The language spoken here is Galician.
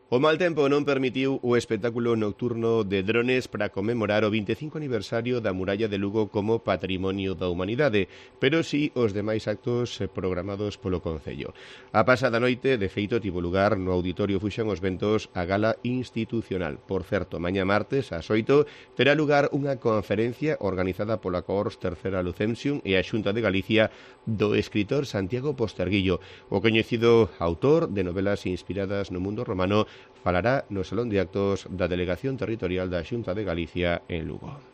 O mal tempo non permitiu o espectáculo nocturno de drones para conmemorar o 25 aniversario da Muralla de Lugo como Patrimonio da Humanidade, pero si os demais actos programados polo Concello. A pasada noite, de feito, tivo lugar no Auditorio Fuxan os Ventos a gala institucional. Por certo, mañá martes, ás 8, terá lugar unha conferencia organizada pola Cohors Tercera Lucensium e a Xunta de Galicia do escritor Santiago Posterguillo. O coñecido autor de novelas inspiradas no mundo romano falará no Salón de Actos da Delegación Territorial da Xunta de Galicia en Lugo.